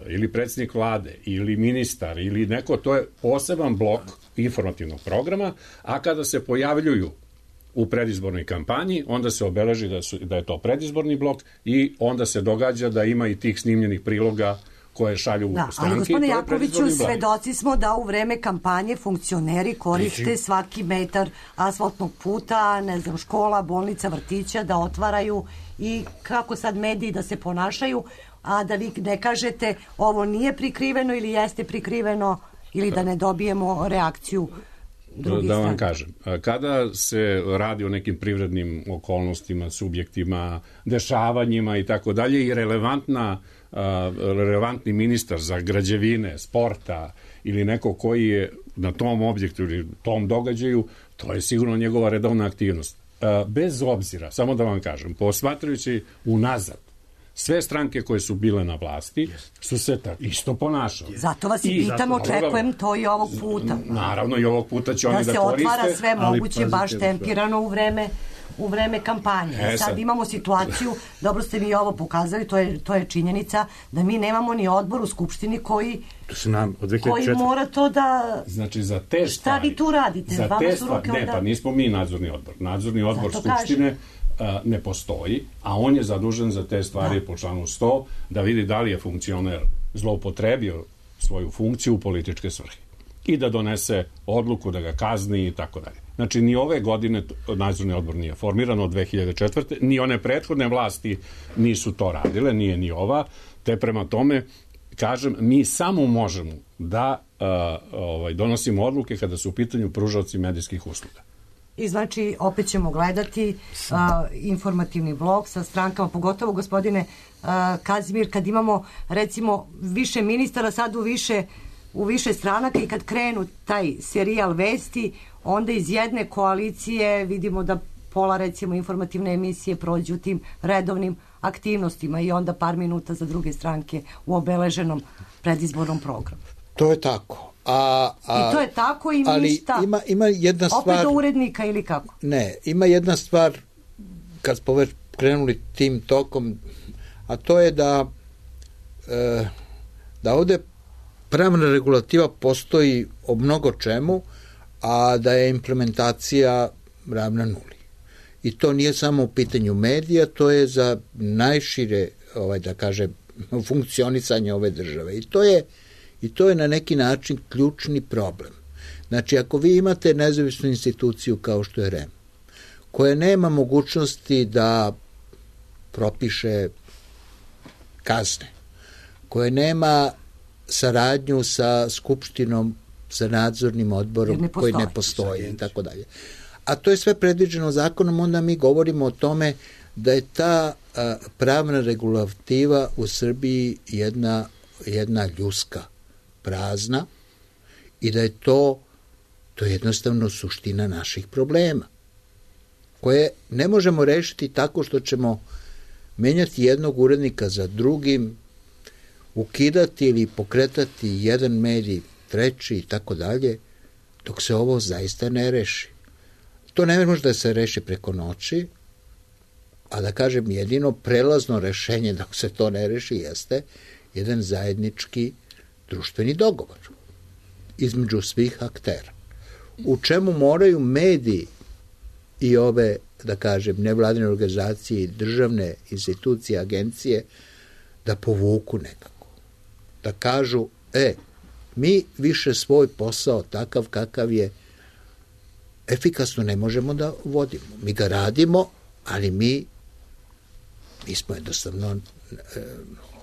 ili predsjednik vlade, ili ministar, ili neko, to je poseban blok informativnog programa, a kada se pojavljuju u predizbornoj kampanji, onda se obeleži da, su, da je to predizborni blok i onda se događa da ima i tih snimljenih priloga koje šalju da, stranke. Ali gospodine Jakoviću, svedoci smo da u vreme kampanje funkcioneri koriste Liči. svaki metar asfaltnog puta, ne znam, škola, bolnica, vrtića, da otvaraju i kako sad mediji da se ponašaju, a da vi ne kažete ovo nije prikriveno ili jeste prikriveno ili da ne dobijemo reakciju drugih da vam strana. kažem, kada se radi o nekim privrednim okolnostima, subjektima, dešavanjima i tako dalje i relevantna, relevantni ministar za građevine, sporta ili neko koji je na tom objektu ili tom događaju, to je sigurno njegova redovna aktivnost. Bez obzira, samo da vam kažem, posmatrajući unazad, sve stranke koje su bile na vlasti su se tako isto ponašale. Zato vas i pitam, očekujem to i ovog puta. Naravno, i ovog puta će da oni da koriste. Da se otvara sve moguće, ali, baš tempirano u vreme u vreme kampanje. E, sad. sad imamo situaciju, dobro ste mi ovo pokazali, to je, to je činjenica, da mi nemamo ni odbor u Skupštini koji, nam, od koji mora to da... Znači, za te stvari... Šta vi tu radite? Za te stvari, ne, onda... pa nismo mi nadzorni odbor. Nadzorni odbor Zato Skupštine a, ne postoji, a on je zadužen za te stvari da. po članu sto, da vidi da li je funkcioner zloupotrebio svoju funkciju u političke svrhe i da donese odluku da ga kazni i tako dalje. Znači, ni ove godine nadzorni odbor nije formiran od dve hiljade četvrte. Ni one prethodne vlasti nisu to radile, nije ni ova, te prema tome, kažem, mi samo možemo da uh, ovaj, donosimo odluke kada su u pitanju pružaoci medijskih usluga. I znači, opet ćemo gledati uh, informativni blog sa strankama, pogotovo, gospodine uh, Kazimir, kad imamo, recimo, više ministara, sad u više u više stranaka i kad krenu taj serijal Vesti, onda iz jedne koalicije vidimo da pola, recimo, informativne emisije prođu tim redovnim aktivnostima i onda par minuta za druge stranke u obeleženom predizbornom programu. To je tako. A, a, I to je tako i ali ništa. Ima, ima jedna stvar... Opet do urednika ili kako? Ne, ima jedna stvar, kad smo već krenuli tim tokom, a to je da e, da ovde pravna regulativa postoji o mnogo čemu, a da je implementacija ravna nuli. I to nije samo u pitanju medija, to je za najšire, ovaj, da kažem, funkcionisanje ove države. I to je, i to je na neki način ključni problem. Znači, ako vi imate nezavisnu instituciju kao što je R E M, koja nema mogućnosti da propiše kazne, koja nema saradnju sa skupštinom, sa nadzornim odborom ne koji ne postoji i tako dalje. A to je sve predviđeno zakonom, onda mi govorimo o tome da je ta a, pravna regulativa u Srbiji jedna, jedna ljuska, prazna i da je to, to je jednostavno suština naših problema, koje ne možemo rešiti tako što ćemo menjati jednog urednika za drugim, ukidati ili pokretati jedan medij, treći i tako dalje, dok se ovo zaista ne reši. To ne može da se reši preko noći, a da kažem jedino prelazno rešenje dok se to ne reši jeste jedan zajednički društveni dogovor između svih aktera, u čemu moraju mediji i ove, da kažem, nevladine organizacije i državne institucije, agencije da povuku nekako. Da kažu, e, mi više svoj posao takav kakav je efikasno ne možemo da vodimo. Mi ga radimo, ali mi mi smo jednostavno e,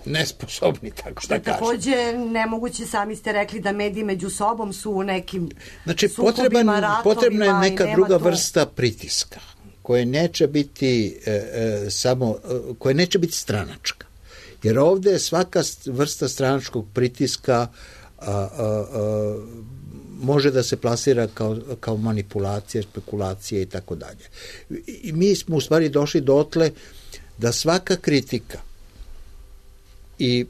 nesposobni, tako da kažem. Takođe, nemoguće, sami ste rekli da mediji među sobom su u nekim znači, sukobima, potreban, ratovima. potrebna je neka druga tu... vrsta pritiska, koje neće biti e, e, samo, e, koje neće biti stranačka. Jer ovde je svaka vrsta stranačkog pritiska a, a, a, može da se plasira kao, kao manipulacija, spekulacija i tako dalje. I mi smo u stvari došli dotle da svaka kritika i,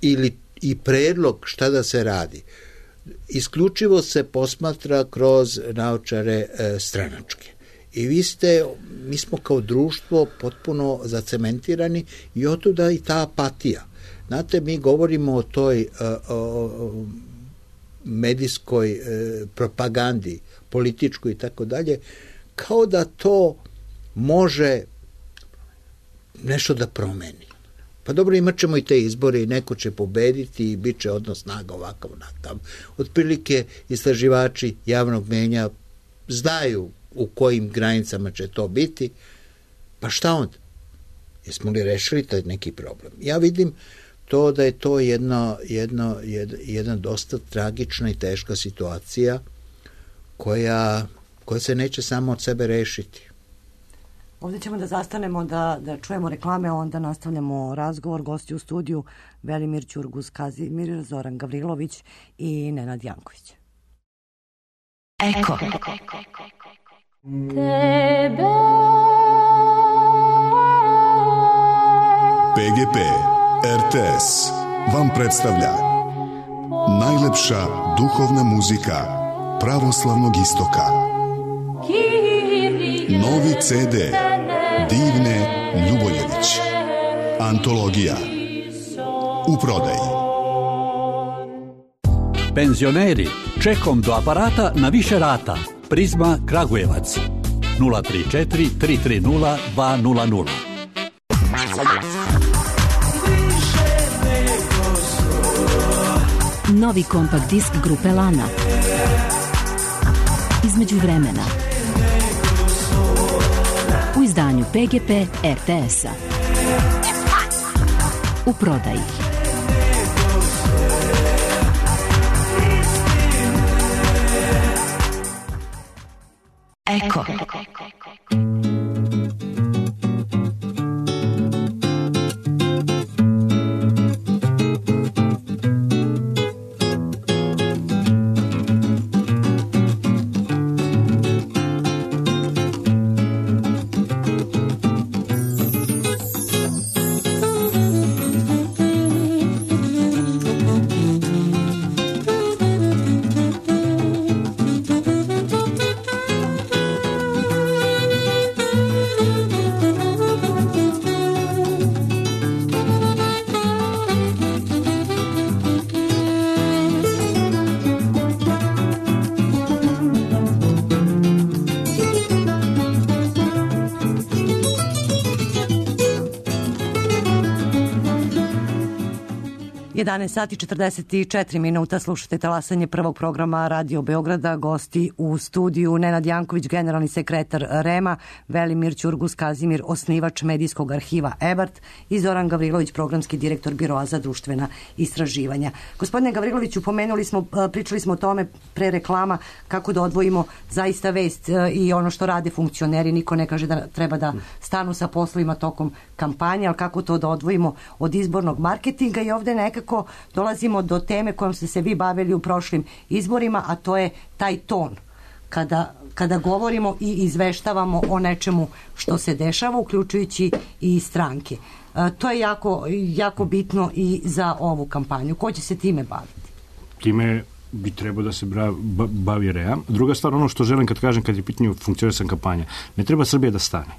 ili, i predlog šta da se radi isključivo se posmatra kroz naočare e, stranačke. I vi ste, mi smo kao društvo potpuno zacementirani i otuda i ta apatija. Znate, mi govorimo o toj o, o, medijskoj e, propagandi, političkoj i tako dalje, kao da to može nešto da promeni. Pa dobro, imat ćemo i te izbore i neko će pobediti i bit će odnos snaga ovakav onakav. Otprilike istraživači javnog mnjenja znaju u kojim granicama će to biti, pa šta onda? Jesmo li rešili taj neki problem? Ja vidim to da je to jedno, jedno, jed, jedna dosta tragična i teška situacija koja, koja se neće samo od sebe rešiti. Ovdje ćemo da zastanemo da, da čujemo reklame, a onda nastavljamo razgovor. Gosti u studiju Velimir Ćurguz, Kazimir, Zoran Gavrilović i Nenad Janković. Eko. Tebe. P G P R T S vam predstavlja najlepša duhovna muzika pravoslavnog istoka. Novi C D Divne Ljuboljević. Antologija. U prodaji. Penzioneri, čekom do aparata na više rata. Prizma Kragujevac. nula tri četiri tri tri nula dva nula nula. Novi kompakt disk grupe Lana. Između vremena. U izdanju P G P R T S-a. U prodaji. Eko. jedanaest sati četrdeset četiri minuta, slušate talasanje prvog programa Radio Beograda. Gosti u studiju Nenad Janković, generalni sekretar REM-a, Velimir Ćurgus Kazimir, osnivač medijskog arhiva Ebart i Zoran Gavrilović, programski direktor Biroa za društvena istraživanja. Gospodine Gavriloviću, pomenuli smo, pričali smo o tome pre reklama kako da odvojimo zaista vest i ono što rade funkcioneri. Niko ne kaže da treba da stanu sa poslovima tokom kampanje, ali kako to da odvojimo od izbornog marketinga. I ovde nekako dolazimo do teme kojom ste se vi bavili u prošlim izborima, a to je taj ton. Kada, kada govorimo i izveštavamo o nečemu što se dešava, uključujući i stranke. E, to je jako, jako bitno i za ovu kampanju. Ko će se time baviti? Time bi trebao da se bavi REM. Druga stvar, ono što želim kad kažem, kad je pitanje funkcionisanja kampanja, ne treba Srbija da stane.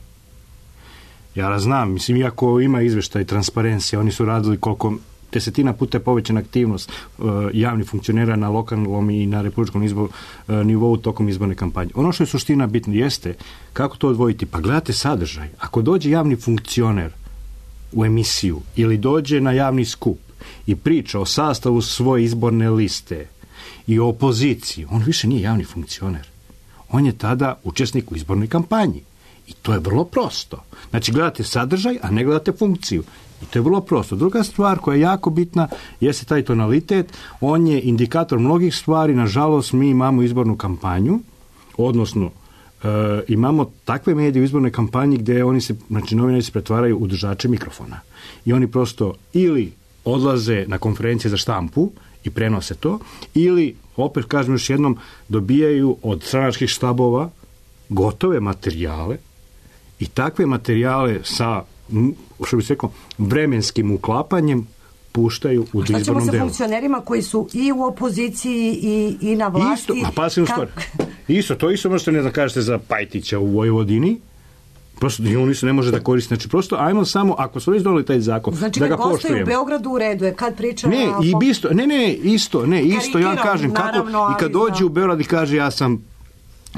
Ja znam, mislim, iako ima izveštaj transparencija, oni su radili koliko desetina puta je povećana aktivnost uh, javnih funkcionera na lokalnom i na republičkom izboru, uh, nivou tokom izborne kampanje. Ono što je suština bitno jeste kako to odvojiti. Pa gledate sadržaj. Ako dođe javni funkcioner u emisiju ili dođe na javni skup i priča o sastavu svoje izborne liste i o opoziciji, on više nije javni funkcioner. On je tada učesnik u izbornoj kampanji. I to je vrlo prosto. Znači, gledate sadržaj, a ne gledate funkciju. I to je vrlo prosto. Druga stvar koja je jako bitna jeste taj tonalitet. On je indikator mnogih stvari. Nažalost, mi imamo izbornu kampanju, odnosno e, imamo takve medije u izbornoj kampanji gde oni se, znači, novinari se pretvaraju u držače mikrofona. I oni prosto ili odlaze na konferencije za štampu i prenose to, ili, opet kažem još jednom, dobijaju od stranačkih štabova gotove materijale i takve materijale sa, što bi se rekao, vremenskim uklapanjem puštaju u izbornom delu. Šta ćemo sa funkcionerima koji su i u opoziciji i, i na vlasti? Isto, a pasivno stvar. Isto, to isto možete ne da kažete za Pajtića u Vojvodini. Prosto i oni se ne može da koristi. Znači, prosto, ajmo samo, ako su već doneli taj zakon, znači, da ga poštujemo. Znači, u Beogradu u redu je, kad pričamo... Ne, i isto, ne, ne, isto, ne, isto, ja kažem, kako, i kad dođe u Beograd i kaže, ja sam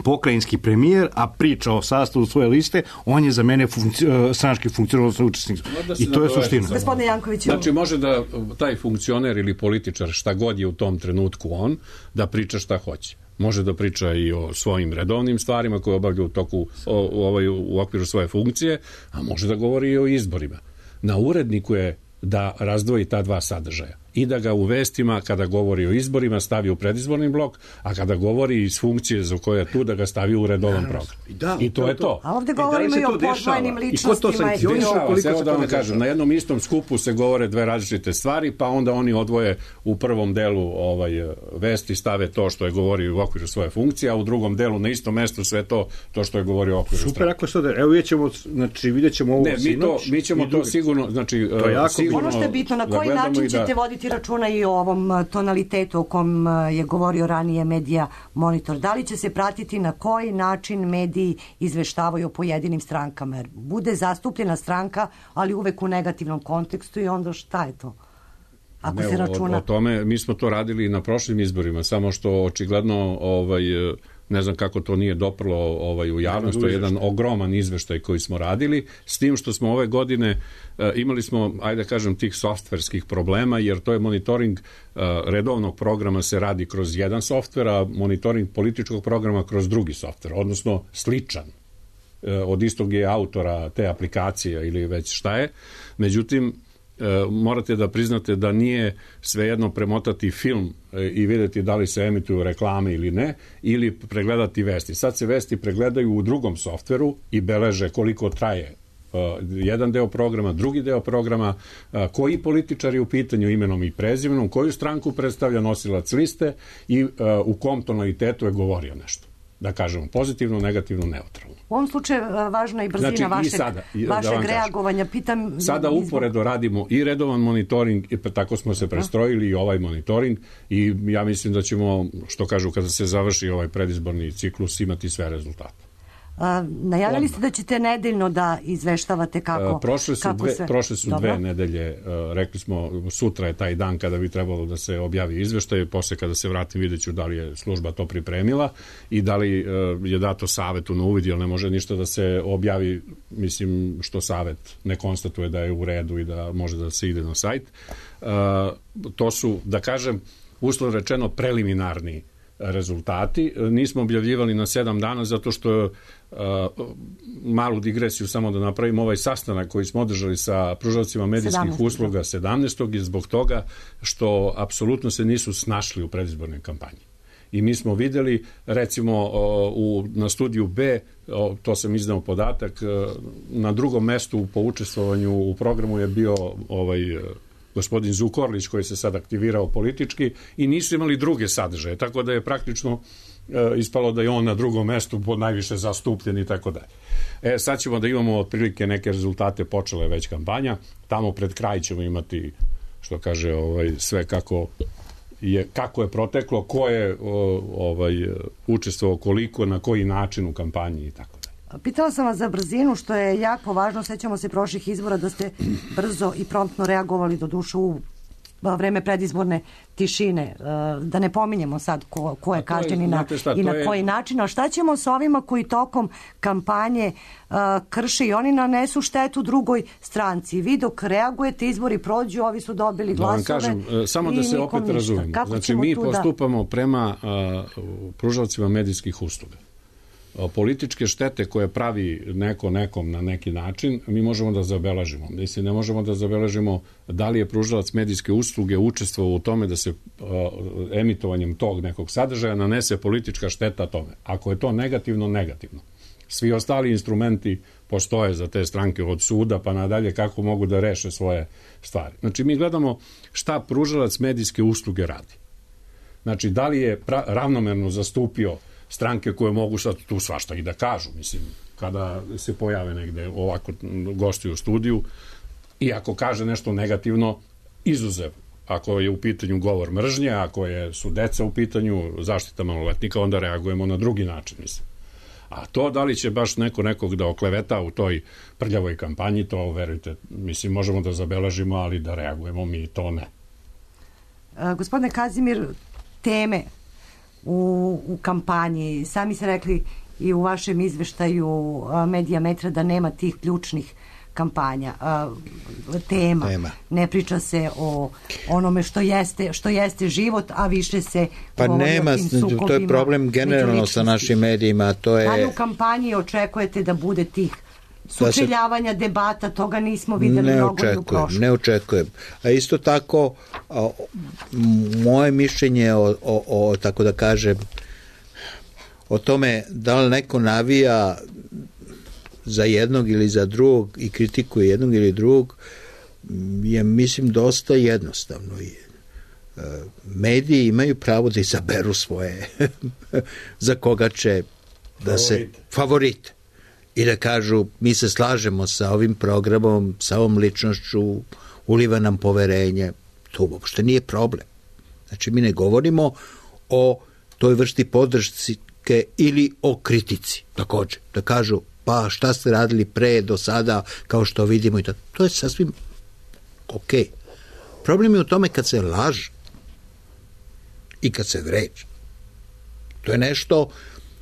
pokrajinski premijer, a priča o sastavu svoje liste, on je za mene funkci, stranački funkcionalno učesnik. I to je suština. Gospodine Janković, znači, može da taj funkcioner ili političar, šta god je u tom trenutku on, da priča šta hoće. Može da priča i o svojim redovnim stvarima koje obavlja u toku o, u, ovaj, u okviru svoje funkcije, a može da govori i o izborima. Na uredniku je da razdvoji ta dva sadržaja i da ga u vestima, kada govori o izborima, stavi u predizborni blok, a kada govori iz funkcije za koje je tu, da ga stavi u redovan program. Da, I to, to je to. A ovde govorimo i, i o podvojnim ličnostima. I ko to sankcioniša? Evo da vam kažem, na jednom istom skupu se govore dve različite stvari, pa onda oni odvoje u prvom delu ovaj, vesti, stave to što je govorio u okviru svoje funkcije, a u drugom delu na istom mestu sve to, to što je govorio u okviru. Super, ako se da, evo vidjet ćemo, znači vidjet ćemo ovo ne, mi sinoć. To, mi ćemo to sigurno, znači, to je sigurno, ono što je bitno, na koji način ćete da voditi računa i o ovom tonalitetu o kom je govorio ranije Medija Monitor. Da li će se pratiti na koji način mediji izveštavaju o pojedinim strankama? Jer bude zastupljena stranka, ali uvek u negativnom kontekstu i onda šta je to? Ako ne, se računa... o, o tome, mi smo to radili na prošlim izborima, samo što očigledno ovaj, ne znam kako to nije doprlo ovaj, u javnost, to je jedan ogroman izveštaj koji smo radili, s tim što smo ove godine uh, imali smo, ajde da kažem, tih softverskih problema, jer to je monitoring uh, redovnog programa se radi kroz jedan softver, a monitoring političkog programa kroz drugi softver, odnosno sličan. Uh, od istog je autora te aplikacije ili već šta je. Međutim, morate da priznate da nije svejedno premotati film i vidjeti da li se emituju reklame ili ne, ili pregledati vesti. Sad se vesti pregledaju u drugom softveru i beleže koliko traje jedan deo programa, drugi deo programa, koji političar je u pitanju imenom i prezimenom, koju stranku predstavlja nosilac liste i u kom tonalitetu je govorio nešto. Da kažemo pozitivno, negativno, neutralno. U ovom slučaju važna i brzina znači, vašeg, i sada, vašeg da reagovanja. Pitam, sada uporedo radimo i redovan monitoring, i tako smo se prestrojili i ovaj monitoring i ja mislim da ćemo, što kažu, kada se završi ovaj predizborni ciklus, imati sve rezultate. A, najavili ste da ćete nedeljno da izveštavate kako, prošle su, kako dve, sve... prošle su Dobro. dve nedelje, uh, rekli smo, sutra je taj dan kada bi trebalo da se objavi izveštaj, posle kada se vratim vidjet ću da li je služba to pripremila i da li uh, je dato savetu na uvid, jer ne može ništa da se objavi, mislim, što savet ne konstatuje da je u redu i da može da se ide na sajt. Uh, to su, da kažem, uslovno rečeno preliminarni rezultati. Nismo objavljivali na sedam dana zato što uh, malu digresiju samo da napravimo, ovaj sastanak koji smo održali sa pružaocima medijskih sedamnaestog usluga sedamnaestog je zbog toga što apsolutno se nisu snašli u predizbornoj kampanji. I mi smo videli, recimo u, na studiju B, to sam iznao podatak, na drugom mestu po učestvovanju u programu je bio ovaj gospodin Zukorlić koji se sad aktivirao politički i nisu imali druge sadržaje, tako da je praktično e, ispalo da je on na drugom mestu pod najviše zastupljen i tako dalje. E, sad ćemo da imamo otprilike neke rezultate, počela je već kampanja, tamo pred kraj ćemo imati, što kaže, ovaj, sve kako je, kako je proteklo, ko je o, ovaj, učestvovao, koliko, na koji način u kampanji i tako. Pitala sam vas za brzinu, što je jako važno. Sećamo se prošlih izbora da ste brzo i promptno reagovali, do duše u vreme predizborne tišine. Da ne pominjemo sad ko, ko je kažnjen i na, šta, i na je... koji način. A šta ćemo s ovima koji tokom kampanje uh, krše i oni nanesu štetu drugoj stranci? Vi dok reagujete, izbori prođu, ovi su dobili glasove. Da vam kažem, samo da se opet razumemo. Znači, mi postupamo da... prema uh, pružaocima medijskih usluga. Političke štete koje pravi neko nekom na neki način, mi možemo da zabeležimo. Mislim, ne možemo da zabeležimo da li je pružalac medijske usluge učestvovao u tome da se uh, emitovanjem tog nekog sadržaja nanese politička šteta tome. Ako je to negativno, negativno. Svi ostali instrumenti postoje za te stranke od suda pa nadalje kako mogu da reše svoje stvari. Znači, mi gledamo šta pružalac medijske usluge radi. Znači, da li je pra- ravnomerno zastupio stranke koje mogu sad tu svašta i da kažu, mislim, kada se pojave negde ovako gosti u studiju i ako kaže nešto negativno, izuzev. Ako je u pitanju govor mržnje, ako je, su deca u pitanju, zaštita maloletnika, onda reagujemo na drugi način, mislim. A to da li će baš neko nekog da okleveta u toj prljavoj kampanji, to verujte, mislim, možemo da zabeležimo, ali da reagujemo mi to ne. A, gospodine Kazimir, teme U, u kampanji. Sami ste rekli i u vašem izveštaju Medijametra da nema tih ključnih kampanja. Tema. Tema. Ne priča se o onome što jeste, što jeste život, a više se pa nema, to je problem generalno sa našim medijima. To je... Da li u kampanji očekujete da bude tih sučeljavanja, se... debata, toga nismo videli ne mnogo očekujem, i u prošlosti. Ne očekujem. A isto tako, a, moje mišljenje o, o, o, tako da kažem, o tome da li neko navija za jednog ili za drugog i kritikuje jednog ili drugog, je, mislim, dosta jednostavno. Mediji imaju pravo da izaberu svoje za koga će da se favorite. I da kažu, mi se slažemo sa ovim programom, sa ovom ličnošću, uliva nam poverenje. To uopšte nije problem. Znači, mi ne govorimo o toj vrsti podrške ili o kritici, također. Da kažu, pa šta ste radili pre, do sada, kao što vidimo i tako. To je sasvim ok. Problem je u tome kad se laže i kad se vređa. To je nešto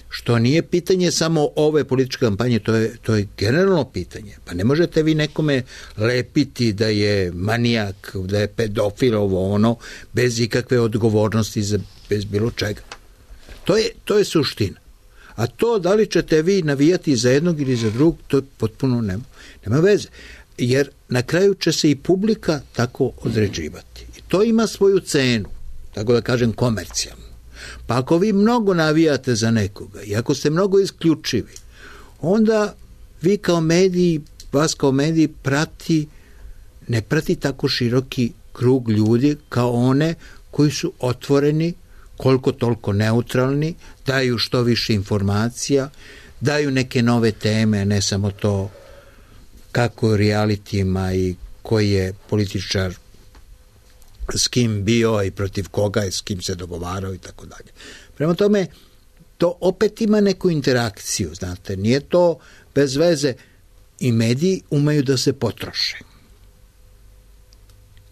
što nije pitanje samo ove političke kampanje, to je, to je generalno pitanje. Pa ne možete vi nekome lepiti da je manijak, da je pedofil, ovo ono, bez ikakve odgovornosti, za, bez bilo čega. To je, to je suština. A to da li ćete vi navijati za jednog ili za drugog, to potpuno nema, nema veze. Jer na kraju će se i publika tako određivati. I to ima svoju cenu, tako da kažem komercijalnu. Pa ako vi mnogo navijate za nekoga i ako ste mnogo isključivi, onda vi kao mediji, vas kao mediji prati, ne prati tako široki krug ljudi kao one koji su otvoreni, koliko toliko neutralni, daju što više informacija, daju neke nove teme, ne samo to kako je realitijima i koji je političar s kim bio i protiv koga i s kim se dogovarao i tako dalje. Prema tome, to opet ima neku interakciju, znate, nije to bez veze. I mediji umeju da se potroše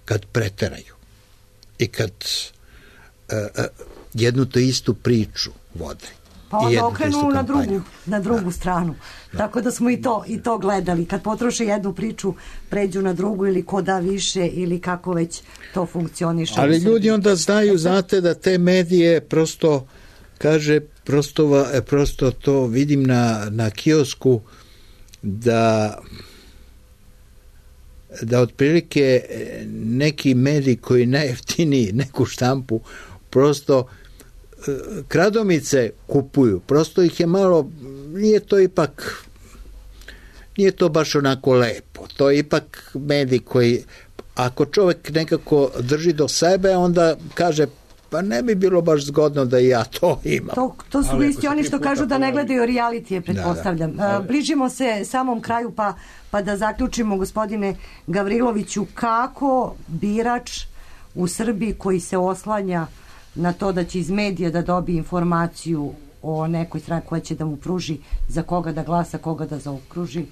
kad preteraju i kad uh, uh, jednu to istu priču vode. Pa onda okrenu na drugu, na drugu da. stranu. Da. Tako da smo i to, i to gledali. Kad potroše jednu priču, pređu na drugu ili ko da više ili kako već to funkcioniše. Ali ljudi onda znaju, znate, da te medije prosto, kaže, prosto, prosto to vidim na, na kiosku, da da otprilike neki mediji koji najjeftiniji neku štampu prosto kradomice kupuju, prosto ih je malo, nije to ipak nije to baš onako lepo, to je ipak medij koji, ako čovjek nekako drži do sebe, onda kaže, pa ne bi bilo baš zgodno da i ja to imam. To, to su isti oni što kažu da ne gledaju realitije, pretpostavljam. Da, da. Bližimo se samom kraju, pa, pa da zaključimo, gospodine Gavriloviću, kako birač u Srbiji koji se oslanja na to da će iz medija da dobije informaciju o nekoj strani koja će da mu pruži za koga da glasa, koga da zaokruži,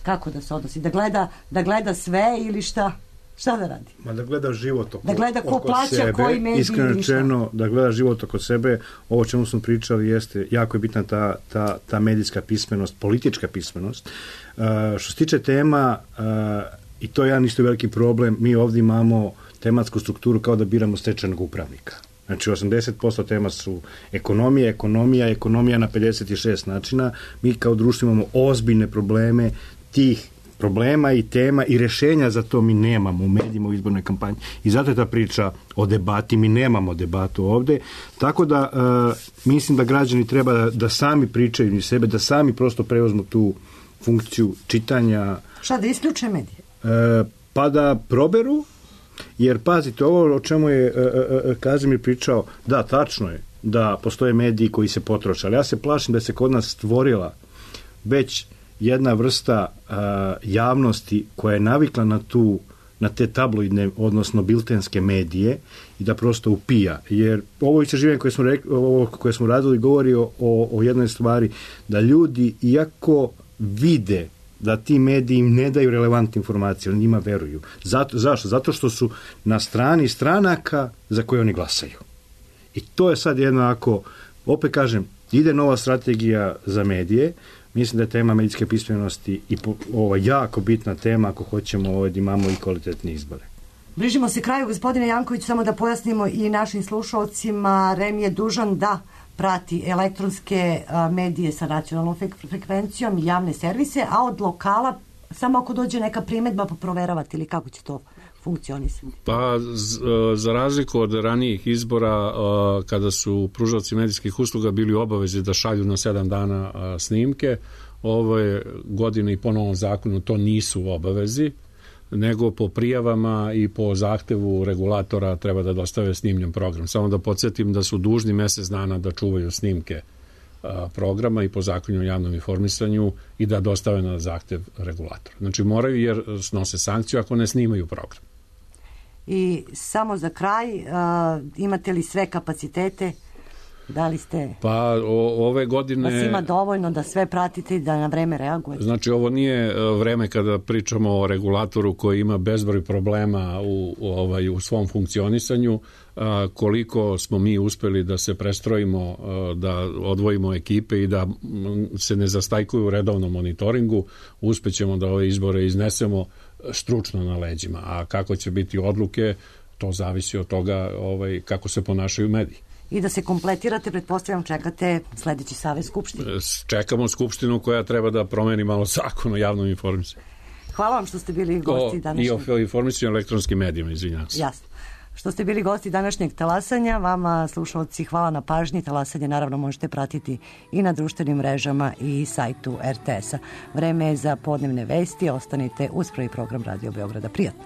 kako da se odnosi? Da gleda, da gleda sve ili šta? Šta da radi? Ma da gleda život oko, da gleda ko oko plaća, sebe, koji medij, iskreno rečeno, da gleda život oko sebe. Ovo čemu smo pričali jeste, jako je bitna ta, ta, ta medijska pismenost, politička pismenost. Uh, što se tiče tema, uh, i to je jedan isto veliki problem, mi ovdje imamo tematsku strukturu kao da biramo stečajnog upravnika. Znači osamdeset posto tema su ekonomija, ekonomija, ekonomija na pedeset šest načina. Mi kao društvo imamo ozbiljne probleme tih problema i tema i rešenja za to mi nemamo u medijima, u izbornoj kampanji. I zato je ta priča o debati, mi nemamo debatu ovde. Tako da uh, mislim da građani treba da, da sami pričaju iz sebe, da sami prosto preuzmu tu funkciju čitanja. Šta, da isključe medije? Uh, pa da proberu, jer pazite, ovo o čemu je uh, uh, Kazimir pričao, da, tačno je da postoje mediji koji se potroše, ali ja se plašim da se kod nas stvorila već jedna vrsta uh, javnosti koja je navikla na tu, na te tabloidne, odnosno biltenske medije i da prosto upija. Jer ovo istraživanje koje smo, rekli, ovo koje smo radili govori o, o jednoj stvari, da ljudi, iako vide da ti mediji im ne daju relevantne informacije, oni njima veruju. Zato, zašto? Zato što su na strani stranaka za koje oni glasaju. I to je sad jednako, opet kažem, ide nova strategija za medije. Mislim da je tema medijske pismenosti i ovo jako bitna tema ako hoćemo ovaj, da imamo i kvalitetne izbore. Bližimo se kraju, gospodine Janković, samo da pojasnimo i našim slušalcima, REM je dužan da prati elektronske a, medije sa nacionalnom frekvencijom i javne servise, a od lokala samo ako dođe neka primedba pa proveravati ili kako će to funkcionisati? Pa z, za razliku od ranijih izbora kada su pružalci medijskih usluga bili u obavezi da šalju na sedam dana snimke, ove godine i po novom zakonu to nisu u obavezi, nego po prijavama i po zahtevu regulatora treba da dostave snimljen program. Samo da podsjetim da su dužni mesec dana da čuvaju snimke programa i po zakonu o javnom informisanju i da dostave na zahtev regulatora. Znači moraju jer snose sankciju ako ne snimaju program. I samo za kraj, uh, imate li sve kapacitete? Da li ste... Pa o, ove godine... Vas ima dovoljno da sve pratite i da na vreme reagujete? Znači ovo nije vreme kada pričamo o regulatoru koji ima bezbroj problema u, u, ovaj, u svom funkcionisanju. A, koliko smo mi uspeli da se prestrojimo, a, da odvojimo ekipe i da m, se ne zastajkuju u redovnom monitoringu, uspećemo da ove izbore iznesemo stručno na leđima. A kako će biti odluke, to zavisi od toga ovaj, kako se ponašaju mediji. I da se kompletirate, pretpostavljam, čekate sledeći savez Skupštine. Čekamo Skupštinu koja treba da promeni malo zakon o javnom informisanju. Hvala vam što ste bili gosti današnjeg... I o informisanju elektronskim medijima, izvinjavam se. Jasno. Što ste bili gosti današnjeg talasanja, vama, slušalci, hvala na pažnji. Talasanje naravno možete pratiti i na društvenim mrežama i sajtu er te es a. Vreme je za podnevne vesti. Ostanite uz prvi program Radio Beograda. Prijatno.